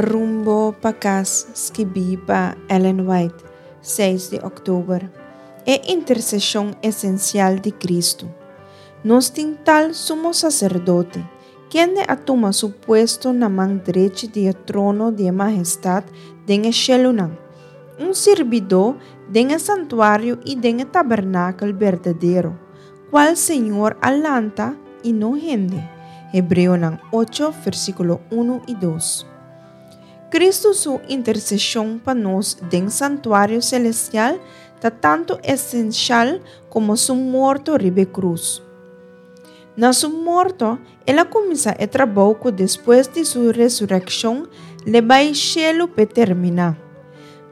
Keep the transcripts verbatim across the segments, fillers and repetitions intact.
Rumbo pa Kas, skibí pa Ellen White, seis di òktober. E interseshon esensial di Kristu. Nos tin tal sumo saserdote, kende a tuma su puesto na man drechi di e trono di e Mahestat den e shelunan, un sirbidó den e santuario i den e tabernakel berdadero, kual Señor a lanta i no hende. Hebreonan ocho, versíkulo un i dos. Kristu su interseshon pa nos den santuario selestial ta tantu esensial komo su morto riba e krus. Na su morto, el a kuminsá e trabou ku despues di su resurekshon l'e bai shelu p'e terminá.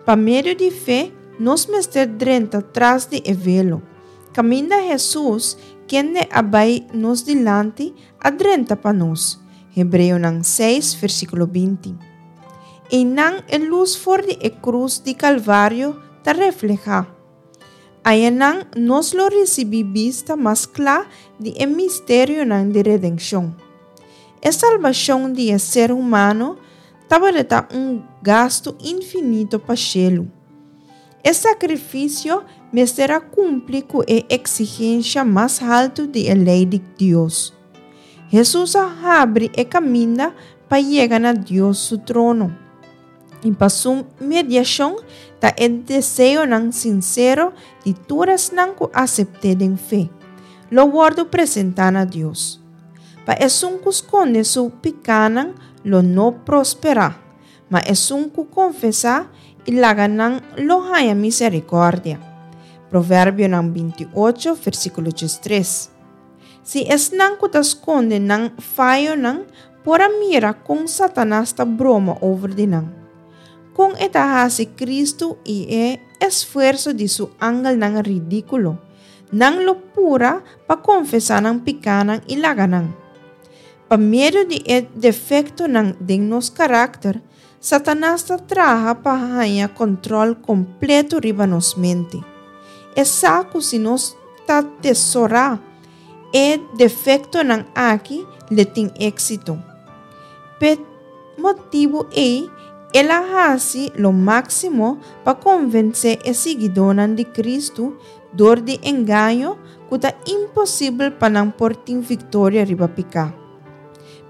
Pa medio di fe, nos mester drenta tras di e velo, kaminda Hesus, kende a bai nos dilanti, a drenta pa nos. Hebreonan seis, versíkulo binti. Einan e lus for di e krus di Kalvario ta reflehá. Ayanan nos lo risibí bista mas kla di e misterionan di redenshon. E salbashon di e ser humano tabata un gastu infinito pa shelu. E sakrifisio mester a kumpli ku e eksigensha mas haltu di e lei di Dios. Hesus a habri e kaminda pa yega na Dios su trono. I pa su mediashon ta e deseonan sinsero di tur esnan ku asept'é den fe, lo wòrdu presentá na Dios. Pa esun ku skonde su pikánan lo no prosperá, ma esun ku konfesá i laga nan lo haña miserikòrdia. Proverbionan binti ocho, versíkulo diestres. Si esnan ku ta skonde nan fayonan por a mira kon Satanas ta broma over di nan, kon e ta hasi Kristu i e esfuerso di su angelnan ridíkulo, nan lo pura pa konfesá nan pikánan i laga nan. Pa medio di e defektonan den nos karakter, Satanas ta traha pa haña kòntròl kompleto riba nos mente. E sa ku si nos ta tesorá e defektonan aki, l'e tin éksito. P'e motibu ei, el a hasi lo máksimo pa konvensé e siguidónan di Kristu dor di engaño ku ta imposibel pa nan por tin viktoria riba piká.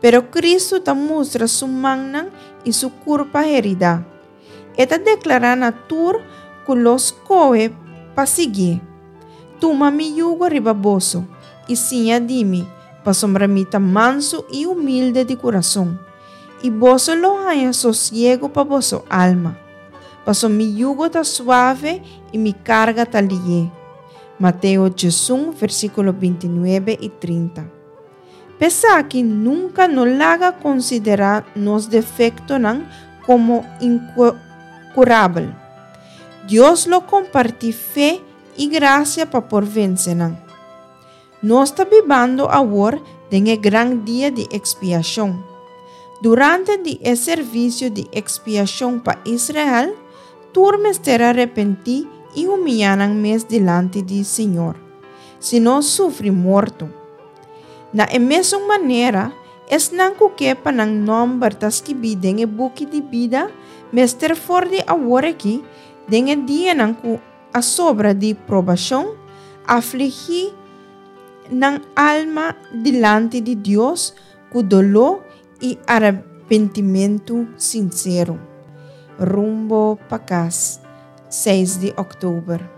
Pero Kristu ta mustra su mannan i su kurpa heridá. E ta deklará na tur ku lo skohe pa siguié, Tuma mi yugo riba boso i siña di mi, pasobra mi ta mansu i humilde di kurason, i boso lo haña sosiegu pa boso alma. Paso mi yugo ta suave i mi karga ta lihé. Mateo diesun, versíkulo binti nuebe i trinta. P'esaki nunka no laga konsiderá nos defektonan komo inkurabel. Dios lo kompartí fe i grasia pa por vense nan. Nos ta bibando awor den e gran dia di ekspiashon. Durante di e servisio di ekspiashon pa Israel, tur mester a repentí i humiyá nan mes dilanti di Señor, sino sufri morto. Na e mesun manera, esnan ku ke pa nan nòmber ta skibí den e buki di bida mester for di awor aki, den e dianan ku a sobra di probashon, afligí nan alma dilanti di Dios ku doló i arepentimentu sinsero. Rumbo pa Kas, seis di òktober.